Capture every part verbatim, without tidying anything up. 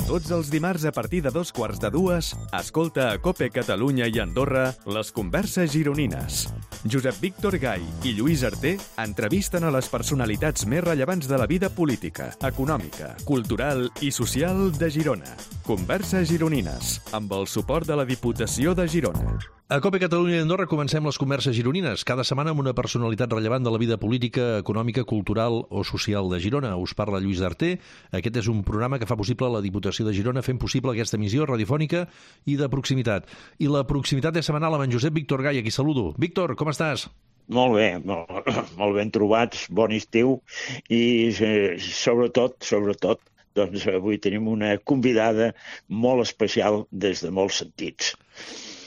Tots els dimarts a partir de dos quarts de dues, escolta a COPE Catalunya i Andorra les converses gironines. Josep Víctor Gai i Lluís Arter entrevisten a les personalitats més rellevants de la vida política, econòmica, cultural i social de Girona. Converses gironines, amb el suport de la Diputació de Girona. A COPE Catalunya i Andorra comencem les converses gironines, cada setmana amb una personalitat rellevant de la vida política, econòmica, cultural o social de Girona. Us parla Lluís Arter. Aquest és un programa que fa possible la Diputació de Girona, fent possible aquesta emissió radiofònica i de proximitat. I la proximitat és setmanal amb en Josep Víctor Gai, a qui saludo. Víctor, com estàs? Molt bé, molt, molt ben trobats, bon estiu i eh, sobretot, sobretot, doncs avui tenim una convidada molt especial des de molts sentits.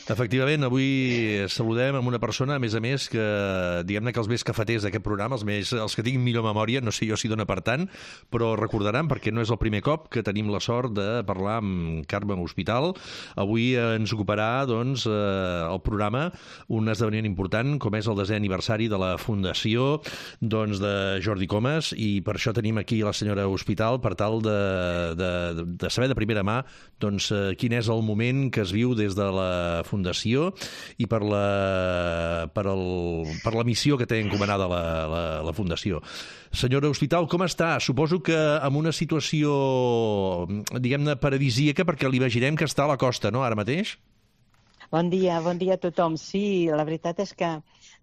Efectivament, avui saludem amb una persona, a més a més, que diguem-ne que els més cafeters d'aquest programa, els, més, els que tinguin millor memòria, no sé jo si dona per tant, però recordaran, perquè no és el primer cop que tenim la sort de parlar amb Carme Hospital. Avui ens ocuparà doncs, el programa un esdeveniment important, com és el desè aniversari de la Fundació doncs, de Jordi Comas, i per això tenim aquí la senyora Hospital per tal de, de, de saber de primera mà doncs, quin és el moment que es viu des de la Fundació Fundació i per la, per, el, per la missió que té encomanada la, la, la Fundació. Senyora Hospital, com està? Suposo que amb una situació, diguem-ne, paradisíaca, perquè l'imaginem que està a la costa, no?, ara mateix? Bon dia, bon dia a tothom. Sí, la veritat és que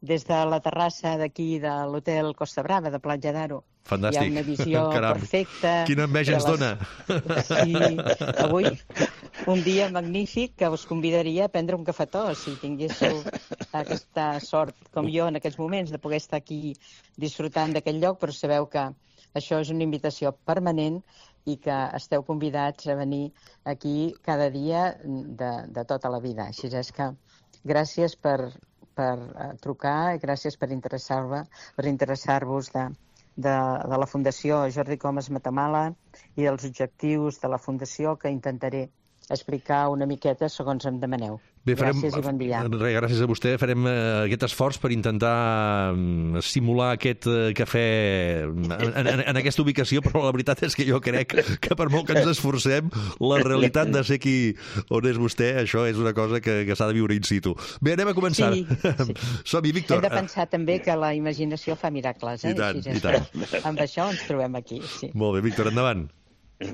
des de la terrassa d'aquí de l'hotel Costa Brava, de Platja d'Aro, fantàstic. Hi ha una visió Caram. Perfecta. Quina enveja ens les... dona. Sí, avui un dia magnífic que us convidaria a prendre un cafetó, si tinguéssiu aquesta sort, com jo en aquests moments, de poder estar aquí disfrutant d'aquest lloc, però sabeu que això és una invitació permanent i que esteu convidats a venir aquí cada dia de, de tota la vida. Així és que gràcies per, per trucar i gràcies per interessar-vos per interessar-vos de, de, de la Fundació Jordi Comas Matamala i els objectius de la Fundació, que intentaré explicar una miqueta segons em demaneu. Bé, farem, gràcies i bon dia. Gràcies a vostè. Farem uh, aquest esforç per intentar um, simular aquest uh, cafè en, en, en aquesta ubicació, però la veritat és que jo crec que per molt que ens esforcem, la realitat de ser aquí on és vostè, això és una cosa que, que s'ha de viure in situ. Bé, anem a començar. Sí, sí. Som-hi, Víctor. Hem de pensar també que la imaginació fa miracles. Eh? I tant, Així i tant. Amb això ens trobem aquí. Sí. Molt bé, Víctor, endavant.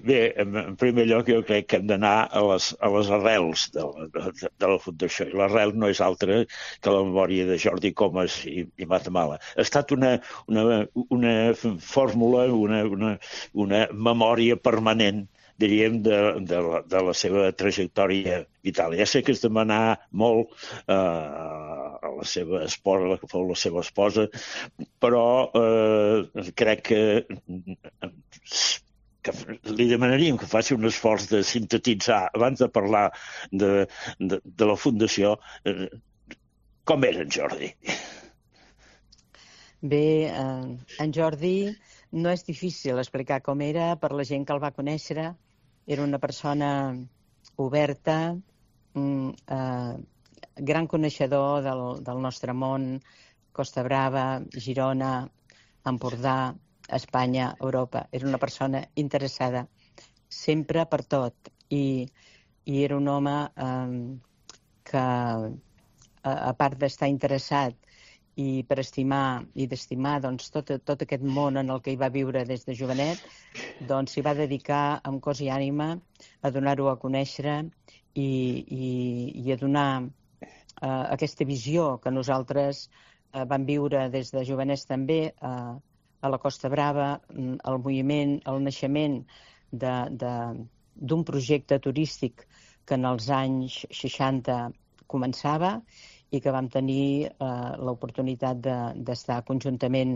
Bé, en primer lloc jo crec que hem d'anar a les, a les arrels de la, de, de la Fundació. I l'arrel no és altra que la memòria de Jordi Comas i, i Matamala. Ha estat una, una, una fórmula, una, una, una memòria permanent, diríem, de, de, la, de la seva trajectòria vital. Ja sé que és demanar molt eh, a la seva esposa, la que fou la seva esposa, però eh, crec que que li demanaríem que faci un esforç de sintetitzar, abans de parlar de, de, de la Fundació, eh, com era en Jordi. Bé, eh, en Jordi no és difícil explicar com era per la gent que el va conèixer. Era una persona oberta, eh, gran coneixedor del, del nostre món, Costa Brava, Girona, Empordà, Espanya, Europa. Era una persona interessada sempre per tot i, i era un home eh, que, a, a part d'estar interessat i per estimar i d'estimar doncs, tot, tot aquest món en el que hi va viure des de jovenet, doncs s'hi va dedicar amb cos i ànima a donar-ho a conèixer i, i, i a donar eh, aquesta visió que nosaltres eh, vam viure des de jovenets també eh, a la Costa Brava, el moviment, el naixement d'un projecte turístic que en els anys seixanta començava i que vam tenir eh, l'oportunitat d'estar de, conjuntament,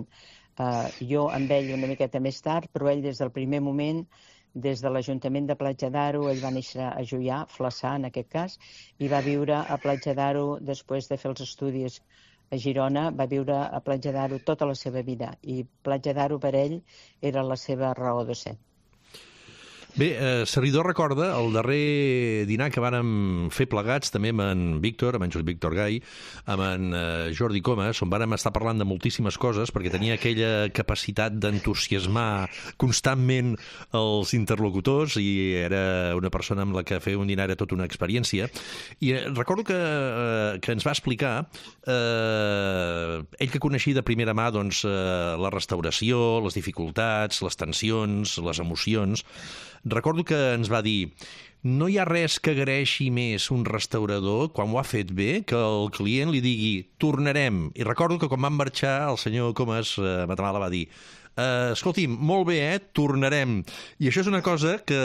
eh, jo amb ell una miqueta més tard, però ell des del primer moment, des de l'Ajuntament de Platja d'Aro, ell va néixer a Juià, Flaçà en aquest cas, i va viure a Platja d'Aro després de fer els estudis a Girona, va viure a Platja d'Aro tota la seva vida i Platja d'Aro per ell era la seva raó de ser. Bé, eh, servidor recorda el darrer dinar que vàrem fer plegats també amb en Víctor, amb en Josep Víctor Gai, amb en eh, Jordi Comas, on vàrem estar parlant de moltíssimes coses, perquè tenia aquella capacitat d'entusiasmar constantment els interlocutors i era una persona amb la que fer un dinar era tota una experiència. I eh, recordo que, eh, que ens va explicar, eh, ell que coneixia de primera mà doncs, eh, la restauració, les dificultats, les tensions, les emocions. Recordo que ens va dir: no hi ha res que agraeixi més un restaurador quan ho ha fet bé que el client li digui tornarem. I recordo que quan van marxar el senyor Comas eh, Matamala va dir: eh, escolti'm, molt bé, eh? Tornarem. I això és una cosa que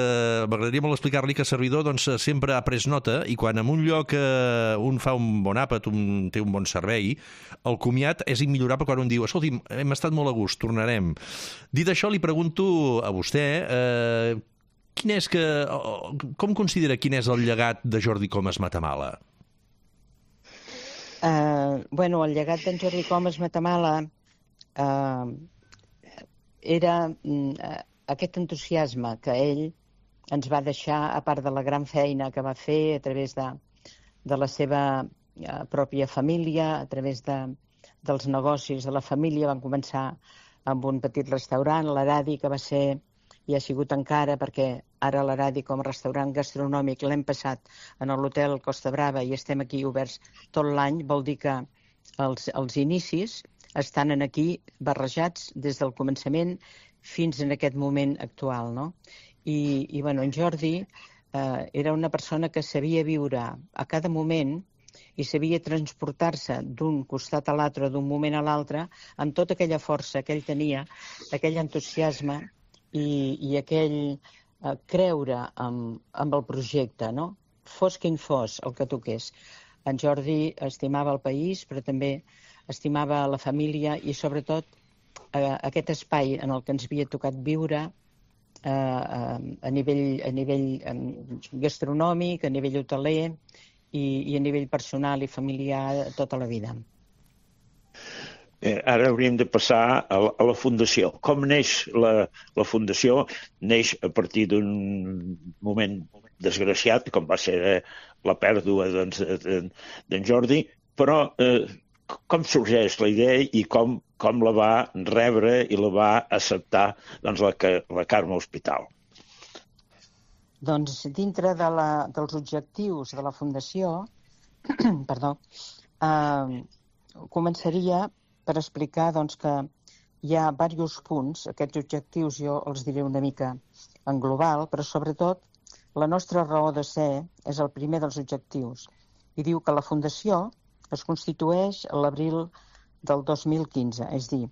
m'agradaria molt explicar-li, que el servidor doncs, sempre ha pres nota, i quan en un lloc eh, un fa un bon àpat, un té un bon servei, el comiat és immillorable quan un diu: escolti'm, hem estat molt a gust, tornarem. Dit això, li pregunto a vostè eh, quin és que, com considera quin és el llegat de Jordi Comas Matamala? Uh, bueno, el llegat d'en Jordi Comas Matamala uh, era uh, aquest entusiasme que ell ens va deixar, a part de la gran feina que va fer a través de, de la seva uh, pròpia família, a través de, dels negocis de la família. Van començar amb un petit restaurant, l'Aradi, que va ser i ha sigut encara, perquè ara l'Aradi com a restaurant gastronòmic l'hem passat en l'hotel Costa Brava i estem aquí oberts tot l'any. Vol dir que els, els inicis estan en aquí barrejats des del començament fins en aquest moment actual, no? I, i bueno, en Jordi eh, era una persona que sabia viure a cada moment i sabia transportar-se d'un costat a l'altre, d'un moment a l'altre, amb tota aquella força que ell tenia, aquell entusiasme i, i aquell eh, creure amb, amb el projecte, no? Fos quin fos el que toqués. En Jordi estimava el país, però també estimava la família i, sobretot, eh, aquest espai en el que ens havia tocat viure eh, a nivell, a nivell gastronòmic, a nivell hoteler i, i a nivell personal i familiar tota la vida. Eh, ara hauríem de passar a la, a la fundació. Com neix la, la fundació? Neix a partir d'un moment desgraciat, com va ser eh, la pèrdua d'en doncs, Jordi, però eh, com sorgeix la idea i com, com la va rebre i la va acceptar doncs, la, la Carme Hospital? Doncs dintre de la, dels objectius de la fundació, perdó, eh, començaria per explicar doncs, que hi ha diversos punts. Aquests objectius jo els diré una mica en global, però sobretot la nostra raó de ser és el primer dels objectius. I diu que la Fundació es constitueix a l'abril del dos mil quinze, és dir,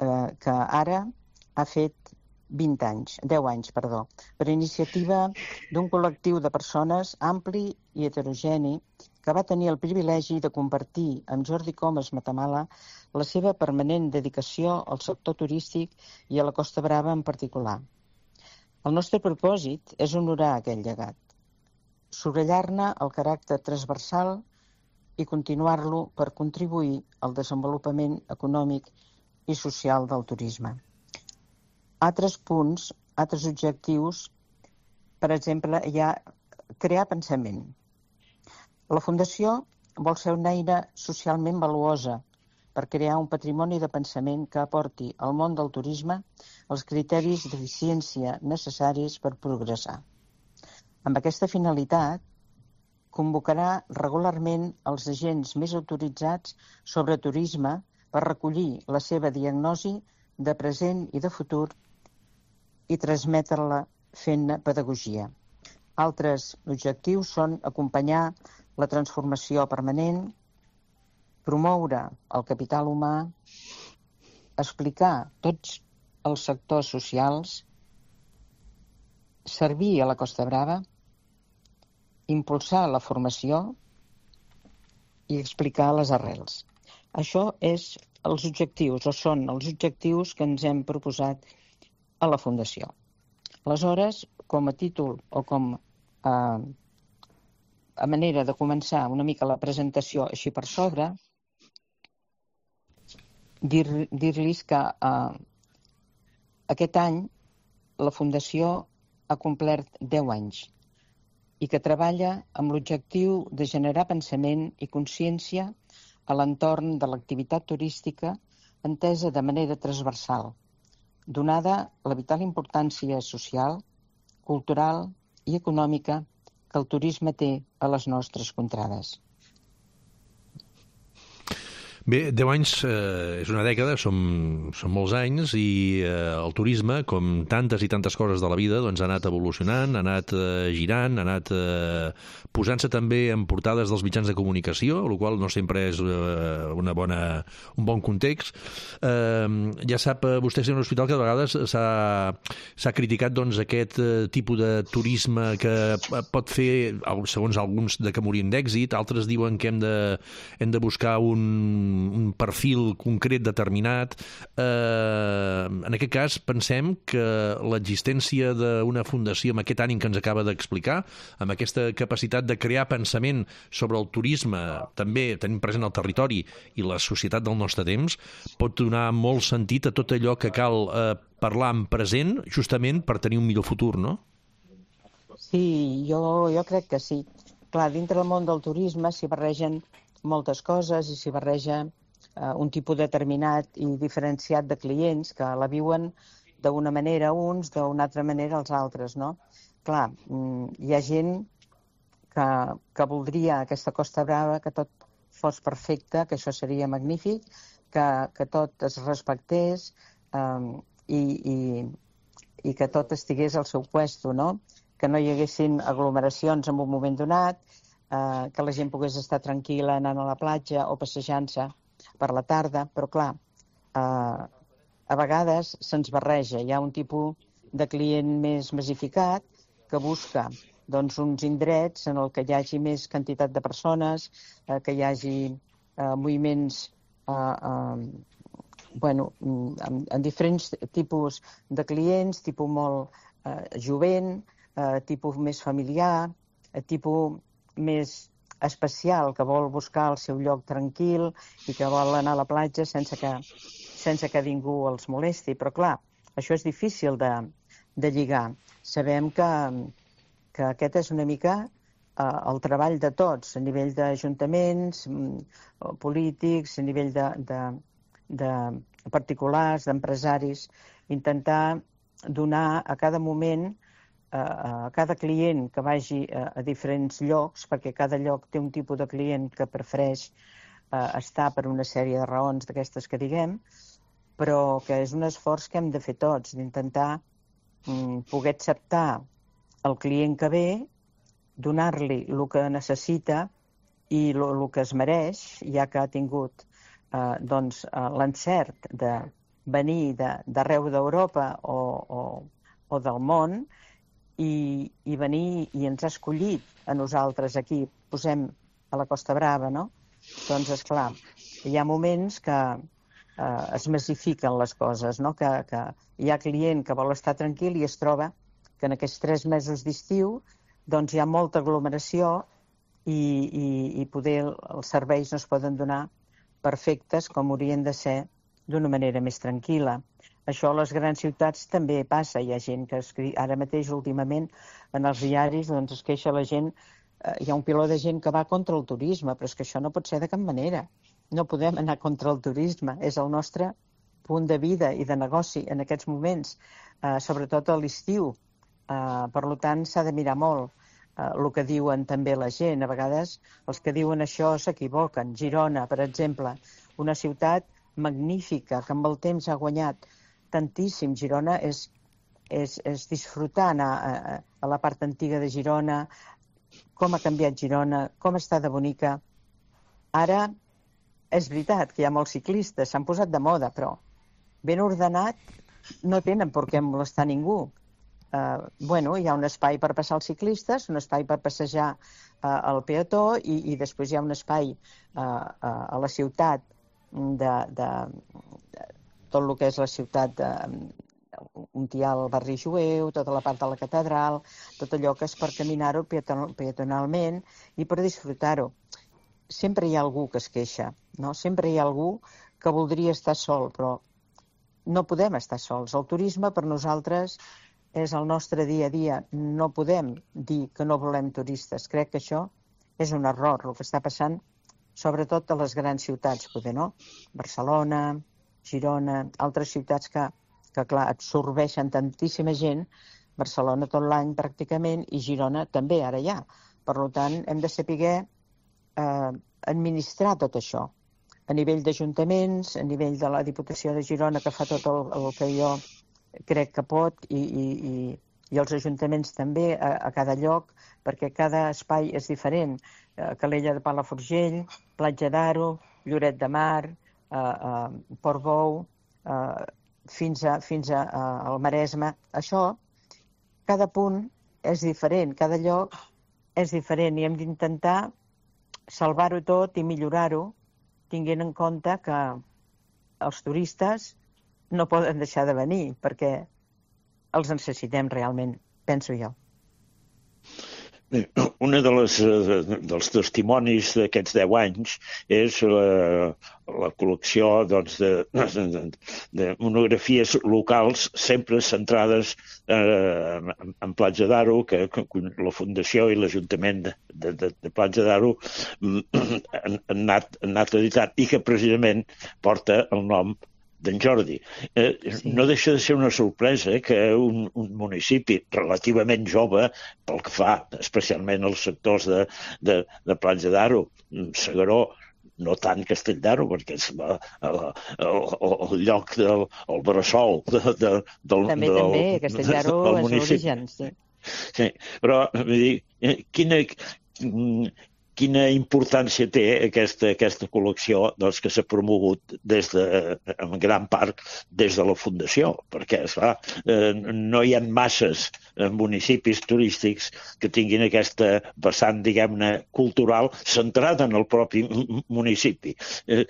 eh, que ara ha fet vint anys, deu anys, perdó, per iniciativa d'un col·lectiu de persones ampli i heterogeni que va tenir el privilegi de compartir amb Jordi Comas Matamala la seva permanent dedicació al sector turístic i a la Costa Brava en particular. El nostre propòsit és honorar aquell llegat, subratllar-ne el caràcter transversal i continuar-lo per contribuir al desenvolupament econòmic i social del turisme. Altres punts, altres objectius, per exemple, hi ha crear pensament. La Fundació vol ser una eina socialment valuosa per crear un patrimoni de pensament que aporti al món del turisme els criteris d'eficiència necessaris per progressar. Amb aquesta finalitat, convocarà regularment els agents més autoritzats sobre turisme per recollir la seva diagnosi de present i de futur i transmetre-la fent pedagogia. Altres objectius són acompanyar la transformació permanent, promoure el capital humà, explicar tots els sectors socials, servir a la Costa Brava, impulsar la formació i explicar les arrels. Això és els objectius, o són els objectius que ens hem proposat a la Fundació. Aleshores, com a títol o com a, a manera de començar una mica la presentació així per sobre, dir-los dir que eh, aquest any la Fundació ha complert deu anys i que treballa amb l'objectiu de generar pensament i consciència a l'entorn de l'activitat turística entesa de manera transversal, donada la vital importància social, cultural i econòmica que el turisme té a les nostres contrades. Bé, deu anys eh, és una dècada, són, són molts anys, i eh, el turisme, com tantes i tantes coses de la vida, doncs ha anat evolucionant, ha anat eh, girant, ha anat eh, posant-se també en portades dels mitjans de comunicació, el qual no sempre és eh, una bona, un bon context. Eh, ja sap eh, vostè, senyor Hospital, que de vegades s'ha criticat doncs, aquest eh, tipus de turisme que pot fer, segons alguns, de que morin d'èxit, altres diuen que hem de, hem de buscar un un perfil concret determinat. Eh, en aquest cas, pensem que l'existència d'una fundació amb aquest ànim que ens acaba d'explicar, amb aquesta capacitat de crear pensament sobre el turisme, també tenint present el territori i la societat del nostre temps, pot donar molt sentit a tot allò que cal eh, parlar en present, justament per tenir un millor futur, no? Sí, jo, jo crec que sí. Clar, dintre del món del turisme s'hi barregen moltes coses i s'hi barreja eh, un tipus determinat i diferenciat de clients que la viuen d'una manera uns, d'una altra manera els altres, no? Clar, hi ha gent que, que voldria aquesta Costa Brava, que tot fos perfecte, que això seria magnífic, que, que tot es respectés eh, i, i, i que tot estigués al seu puesto, no? Que no hi haguessin aglomeracions en un moment donat, eh, que la gent pogués estar tranquil·la anant a la platja o passejant-se per la tarda, però clar, eh, a vegades se'ns barreja. Hi ha un tipus de client més massificat que busca doncs, uns indrets en el que hi hagi més quantitat de persones, eh, que hi hagi eh, moviments eh, eh, bueno, en, en diferents tipus de clients, tipus molt eh, jovent, eh, tipus més familiar, eh, tipus més especial, que vol buscar el seu lloc tranquil i que vol anar a la platja sense que, sense que ningú els molesti. Però clar, això és difícil de, de lligar. Sabem que, que aquest és una mica eh, el treball de tots, a nivell d'ajuntaments, polítics, a nivell de, de, de particulars, d'empresaris, intentar donar a cada moment, a cada client que vagi a diferents llocs, perquè cada lloc té un tipus de client que prefereix estar per una sèrie de raons d'aquestes que diguem, però que és un esforç que hem de fer tots, d'intentar poder acceptar el client que ve, donar-li el que necessita i el que es mereix, ja que ha tingut eh, doncs, l'encert de venir d'arreu d'Europa o, o, o del món, I, i venir i ens ha escollit a nosaltres aquí, posem a la Costa Brava, no? Doncs, esclar, hi ha moments que eh, es massifiquen les coses, no? Que, que hi ha client que vol estar tranquil i es troba que en aquests tres mesos d'estiu doncs hi ha molta aglomeració i, i, i poder els serveis no es poden donar perfectes com haurien de ser d'una manera més tranquil·la. Això a les grans ciutats també passa. Hi ha gent que escriu, ara mateix, últimament, en els diaris, doncs es queixa la gent, eh, hi ha un piló de gent que va contra el turisme, però és que això no pot ser de cap manera. No podem anar contra el turisme, és el nostre punt de vida i de negoci en aquests moments, eh, sobretot a l'estiu. Eh, per tant, s'ha de mirar molt eh, el que diuen també la gent. A vegades els que diuen això s'equivoquen. Girona, per exemple, una ciutat magnífica que amb el temps ha guanyat tantíssim. Girona és, és, és disfrutar anar a, a la part antiga de Girona, com ha canviat Girona, com està de bonica. Ara és veritat que hi ha molts ciclistes, s'han posat de moda, però ben ordenat no tenen per què molestar ningú. Uh, bueno, hi ha un espai per passar els ciclistes, un espai per passejar uh, el peató i, i després hi ha un espai uh, uh, a la ciutat de, de, de tot el que és la ciutat de, on hi ha el barri jueu, tota la part de la catedral, tot allò que és per caminar-ho peatonalment i per disfrutar-ho. Sempre hi ha algú que es queixa, no? Sempre hi ha algú que voldria estar sol, però no podem estar sols. El turisme per nosaltres és el nostre dia a dia. No podem dir que no volem turistes. Crec que això és un error, el que està passant, sobretot a les grans ciutats, poder, no? Barcelona, Girona, altres ciutats que, que clar, absorbeixen tantíssima gent, Barcelona tot l'any pràcticament, i Girona també, ara ja. Per tant, hem de saber eh, administrar tot això. A nivell d'ajuntaments, a nivell de la Diputació de Girona, que fa tot el, el que jo crec que pot, i, i, i, i els ajuntaments també, a, a cada lloc, perquè cada espai és diferent. Eh, Calella de Palafrugell, Platja d'Aro, Lloret de Mar, eh, eh, Portbou, eh, fins, a, fins a, a, al Maresme. Això, cada punt és diferent, cada lloc és diferent, i hem d'intentar salvar-ho tot i millorar-ho, tinguent en compte que els turistes no poden deixar de venir, perquè els necessitem realment, penso jo. Un dels, dels testimonis d'aquests deu anys és la, la col·lecció doncs, de, de, de monografies locals sempre centrades eh, en, en Platja d'Aro, que, que la Fundació i l'Ajuntament de, de, de Platja d'Aro han, han, anat, han anat editant, i que precisament porta el nom d'en Jordi. Eh, sí. No deixa de ser una sorpresa que un, un municipi relativament jove, pel que fa especialment als sectors de, de, de Platja d'Aro, S'Agaró, no tant Castell d'Aro, perquè és el, el, el, el lloc del el bressol de, de, del, també, del, també, Castell d'Aro és l'origen, sí. Sí, però vull dir, quina... Quina importància té aquesta, aquesta col·lecció doncs, que s'ha promogut des de, en gran part des de la Fundació, perquè esclar, eh, no hi ha masses municipis turístics que tinguin aquesta vessant, diguem-ne, cultural centrada en el propi municipi. Eh,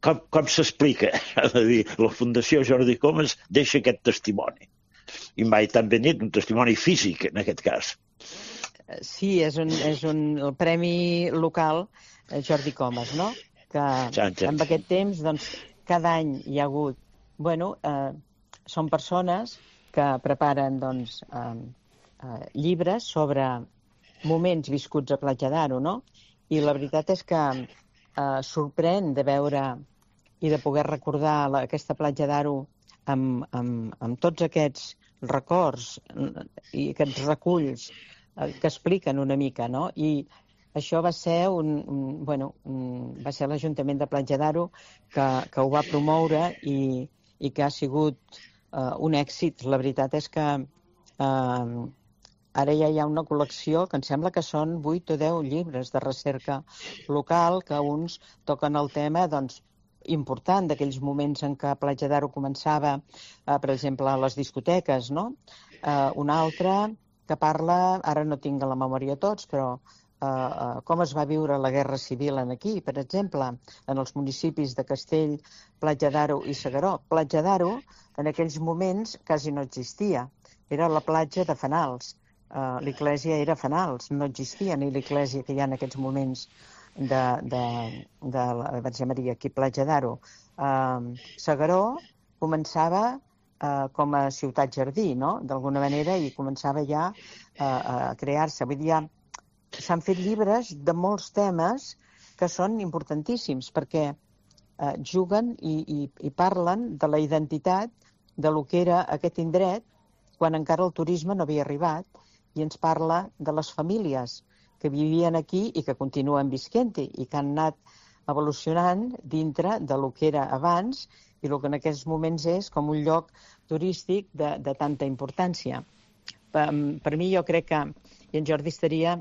com com s'explica? Ha de dir, la Fundació Jordi Comas deixa aquest testimoni. I mai tan ben dit, un testimoni físic, en aquest cas. Sí, és un, és un el premi local Jordi Comas, no? Que en aquest temps, doncs, cada any hi ha hagut... Bueno, eh, són persones que preparen, doncs, eh, eh, llibres sobre moments viscuts a Platja d'Aro, no? I la veritat és que eh, sorprèn de veure i de poder recordar la, aquesta Platja d'Aro amb, amb, amb tots aquests records i aquests reculls que expliquen una mica, no? I això va ser un, un bueno, un, va ser l'Ajuntament de Platja d'Aro que, que ho va promoure i, i que ha sigut uh, un èxit. La veritat és que uh, ara ja hi ha una col·lecció que em sembla que són vuit o deu llibres de recerca local, que uns toquen el tema, doncs, important d'aquells moments en què Platja d'Aro començava, uh, per exemple, a les discoteques, no? Uh, un altre que parla, ara no tinc a la memòria tots, però eh, eh, com es va viure la Guerra Civil en aquí, per exemple, en els municipis de Castell, Platja d'Aro i S'Agaró. Platja d'Aro, en aquells moments, quasi no existia. Era la platja de Fenals. Eh, l'església era Fenals, no existia ni l'església que hi ha en aquests moments de, de, de la Verge Maria, aquí a Platja d'Aro. Eh, S'Agaró començava Uh, com a ciutat-jardí, no?, d'alguna manera, i començava ja uh, a crear-se. Vull dir, ja s'han fet llibres de molts temes que són importantíssims, perquè uh, juguen i, i, i parlen de la identitat de lo que era aquest indret quan encara el turisme no havia arribat, i ens parla de les famílies que vivien aquí i que continuen visquent-hi i que han anat evolucionant dintre de lo que era abans i el que en aquests moments és com un lloc turístic de, de tanta importància. Per, per mi, jo crec que i en Jordi estaria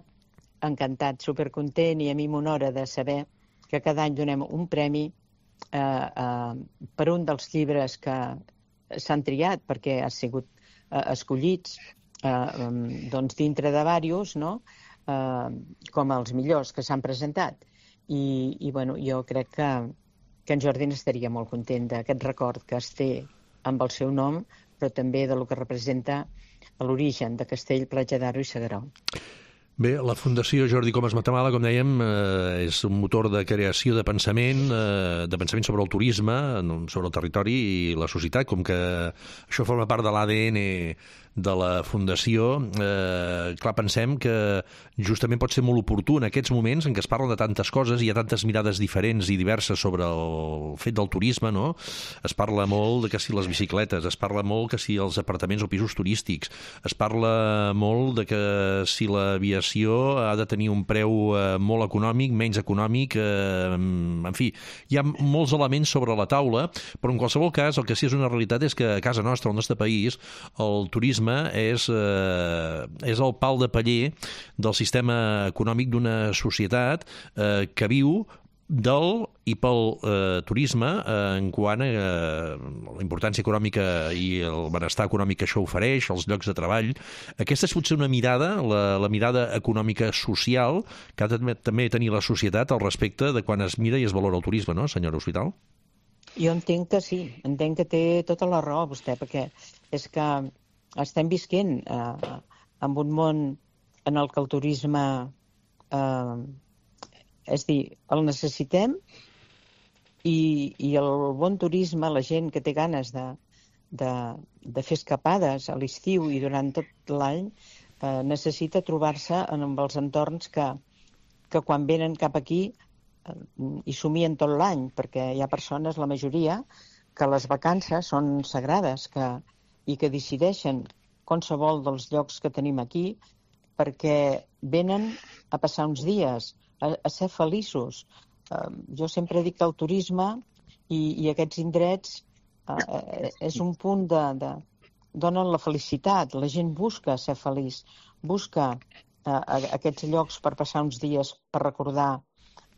encantat, supercontent, i a mi m'honora de saber que cada any donem un premi eh, eh, per un dels llibres que s'han triat, perquè han sigut eh, escollits eh, doncs dintre de diversos, no? eh, com els millors que s'han presentat. I, i bueno, jo crec que que en Jordi n'estaria molt content d'aquest record que es té amb el seu nom, però també de lo que representa l'origen de Castell, Platja d'Aro i S'Agaró. Bé, la Fundació Jordi Comas Matamala, com dèiem, eh, és un motor de creació de pensament, eh, de pensament sobre el turisme, sobre el territori i la societat, com que això forma part de l'A D N de la Fundació. Eh, clar, pensem que justament pot ser molt oportú en aquests moments en què es parla de tantes coses i hi ha tantes mirades diferents i diverses sobre el fet del turisme, no? Es parla molt de que si les bicicletes, es parla molt que si els apartaments o pisos turístics, es parla molt de que si l'aviació ha de tenir un preu eh, molt econòmic, menys econòmic, eh, en fi, hi ha molts elements sobre la taula, però en qualsevol cas el que sí és una realitat és que a casa nostra, al nostre país, el turisme és, eh, és el pal de paller del sistema econòmic d'una societat eh, que viu del i pel eh, turisme eh, en quant a eh, la importància econòmica i el benestar econòmic que això ofereix, els llocs de treball. Aquesta és potser una mirada, la, la mirada econòmica social que ha de també tenir la societat al respecte de quan es mira i es valora el turisme, no, senyora Hospital? Jo entenc que sí, entenc que té tota la raó vostè, perquè és que estem visquent eh, en un món en el que el turisme, eh, és dir, el necessitem i, i el bon turisme, la gent que té ganes de, de, de fer escapades a l'estiu i durant tot l'any, eh, necessita trobar-se en els entorns que, que quan venen cap aquí eh, hi somien tot l'any, perquè hi ha persones, la majoria, que les vacances són sagrades, que i que decideixen qualsevol dels llocs que tenim aquí perquè venen a passar uns dies, a, a ser feliços. Uh, jo sempre dic que el turisme i, i aquests indrets uh, és un punt de, de... donen la felicitat. La gent busca ser feliç, busca uh, aquests llocs per passar uns dies, per recordar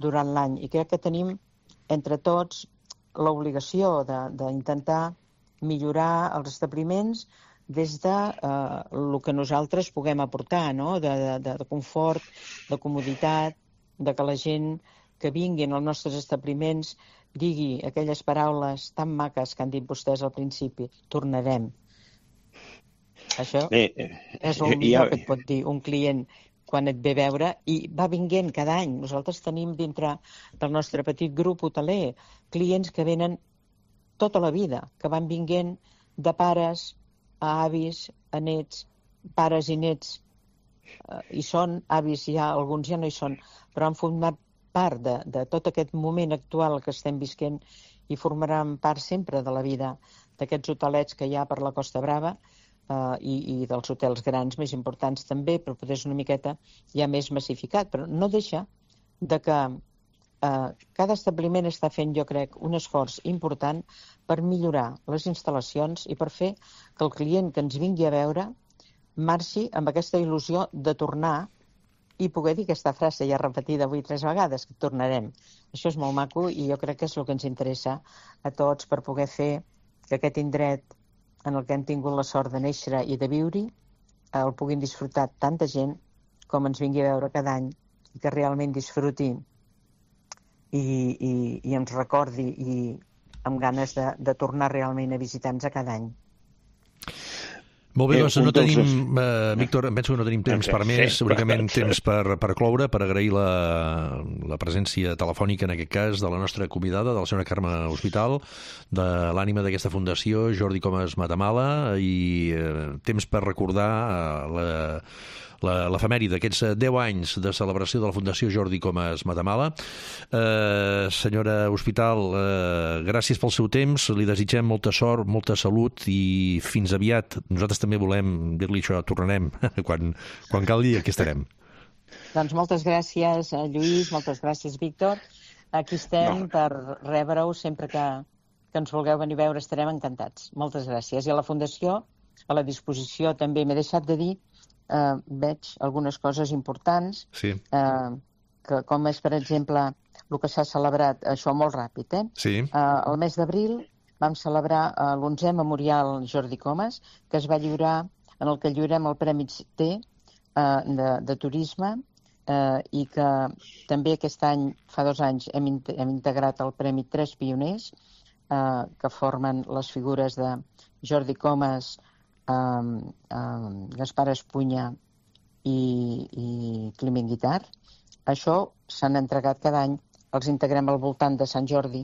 durant l'any. I crec que tenim entre tots l'obligació d'intentar millorar els establiments des de eh, el que nosaltres puguem aportar, no? de, de, de confort, de comoditat, de que la gent que vingui als nostres establiments digui aquelles paraules tan maques que han dit vostès al principi, tornarem. Això Bé, és el millor ja... que et pot dir un client quan et ve a veure i va vinguent cada any. Nosaltres tenim dintre del nostre petit grup hoteler clients que venen tota la vida, que van vinguent de pares a avis, a nets, pares i nets, eh, hi són, avis ja, alguns ja no hi són, però han format part de, de tot aquest moment actual que estem visquent i formaran part sempre de la vida d'aquests hotelets que hi ha per la Costa Brava eh, i, i dels hotels grans més importants també, però potser és una miqueta ja més massificat, però no deixa de que Uh, cada establiment està fent, jo crec, un esforç important per millorar les instal·lacions i per fer que el client que ens vingui a veure marxi amb aquesta il·lusió de tornar i poder dir aquesta frase ja repetida avui tres vegades, que tornarem. Això és molt maco i jo crec que és el que ens interessa a tots per poder fer que aquest indret en el que hem tingut la sort de néixer i de viure el puguin disfrutar tanta gent com ens vingui a veure cada any i que realment disfruti I, i, i ens recordi i amb ganes de, de tornar realment a visitar-nos a cada any. Molt bé, doncs no tenim, eh, Víctor, em penso que no tenim temps per més, únicament temps per, per cloure, per agrair la, la presència telefònica, en aquest cas, de la nostra convidada, de la senyora Carme Hospital, de l'ànima d'aquesta fundació, Jordi Comas Matamala, i eh, temps per recordar eh, la... l'efemèride d'aquests deu anys de celebració de la Fundació Jordi Comas Matamala. Eh, senyora Hospital, eh, gràcies pel seu temps, li desitgem molta sort, molta salut i fins aviat. Nosaltres també volem dir-li això, tornarem quan, quan calgui, aquí estarem. Doncs moltes gràcies, Lluís, moltes gràcies, Víctor. Aquí estem no. per rebre-ho sempre que, que ens vulgueu venir a veure, estarem encantats. Moltes gràcies. I a la Fundació, a la disposició també, m'he deixat de dir Uh, veig algunes coses importants, sí. uh, que, com és, per exemple, el que s'ha celebrat, això molt ràpid, eh? Sí. Uh, el mes d'abril vam celebrar uh, l'onzè Memorial Jordi Comas, que es va lliurar, en el que lliurem el Premi T uh, de, de Turisme, uh, i que també aquest any, fa dos anys, hem, in hem integrat el Premi Tres Pioners, uh, que formen les figures de Jordi Comas, Um, um, Gaspar Espunya i, i Climent Guitar. Això s'han entregat cada any, els integrem al voltant de Sant Jordi,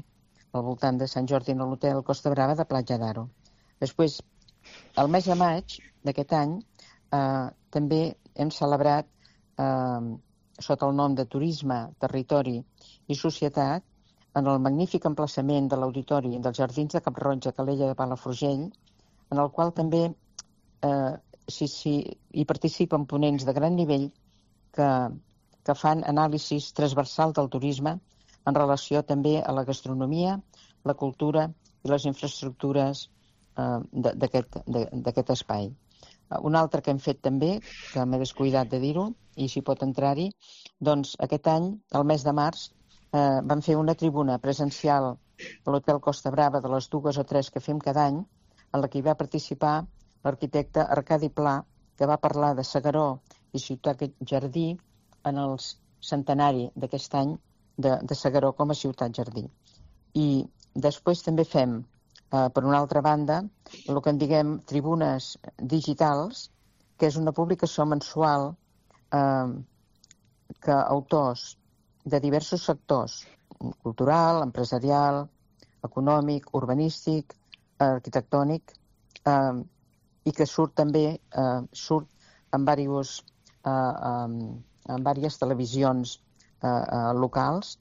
al voltant de Sant Jordi en l'hotel Costa Brava de Platja d'Aro. Després, el mes de maig d'aquest any, eh, també hem celebrat, eh, sota el nom de Turisme, Territori i Societat, en el magnífic emplaçament de l'Auditori dels Jardins de Cap-roja, Calella de Palafrugell, en el qual també eh, sí, sí, hi participen ponents de gran nivell que, que fan anàlisis transversal del turisme en relació també a la gastronomia, la cultura i les infraestructures eh, d'aquest espai. Un altre que hem fet també, que m'he descuidat de dir-ho, i si pot entrar-hi, doncs aquest any, el mes de març, eh, vam fer una tribuna presencial a l'Hotel Costa Brava de les dues o tres que fem cada any, en la que hi va participar l'arquitecte Arcadi Pla, que va parlar de S'Agaró i Ciutat Jardí en el centenari d'aquest any de, de S'Agaró com a ciutat jardí. I després també fem, eh, per una altra banda, el que en diguem tribunes digitals, que és una publicació mensual eh, que autors de diversos sectors, cultural, empresarial, econòmic, urbanístic, arquitectònic, eh, i que surt també eh, surt en diversos eh, eh, en diverses televisions eh, eh, locals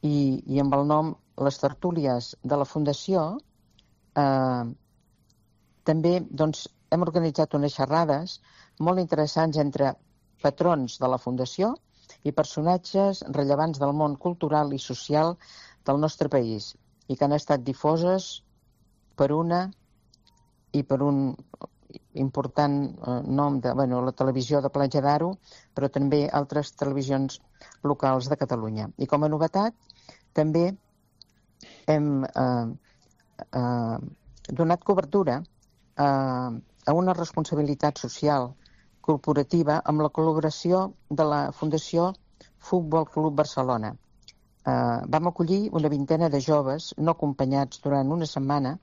i, i amb el nom Les Tertúlies de la Fundació eh, també doncs, hem organitzat unes xerrades molt interessants entre patrons de la Fundació i personatges rellevants del món cultural i social del nostre país i que han estat difoses per una i per un important eh, nom de bueno, la televisió de Platja d'Aro, però també altres televisions locals de Catalunya. I com a novetat, també hem eh, eh, donat cobertura eh, a una responsabilitat social corporativa amb la col·laboració de la Fundació Futbol Club Barcelona. Eh, vam acollir una vintena de joves no acompanyats durant una setmana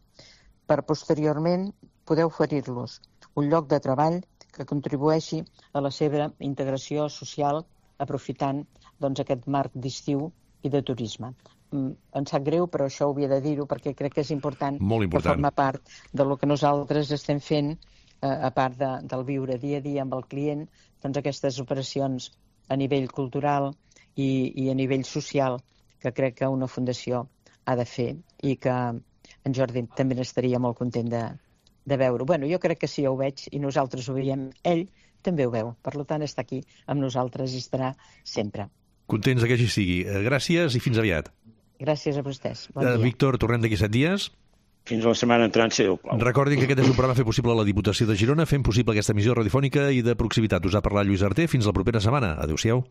per posteriorment poder oferir-los un lloc de treball que contribueixi a la seva integració social aprofitant doncs, aquest marc d'estiu i de turisme. Mm, em sap greu, però això ho havia de dir-ho perquè crec que és important, Molt important. que forma part del que nosaltres estem fent, eh, a part de, del viure dia a dia amb el client, doncs aquestes operacions a nivell cultural i, i a nivell social que crec que una fundació ha de fer i que en Jordi també n'estaria molt content de, de veure. Bueno, jo crec que sí, ho veig i nosaltres ho veiem. Ell també ho veu. Per tant, està aquí amb nosaltres i estarà sempre. Contents que així sigui. Gràcies i fins aviat. Gràcies a vostès. Bon Uh, dia. Víctor, tornem d'aquí set dies. Fins a la setmana entrant, si Déu plau. Recordin que aquest és un programa fet possible a la Diputació de Girona, fent possible aquesta emissió radiofònica i de proximitat. Us ha parlat Lluís Arté. Fins la propera setmana. Adéu-siau.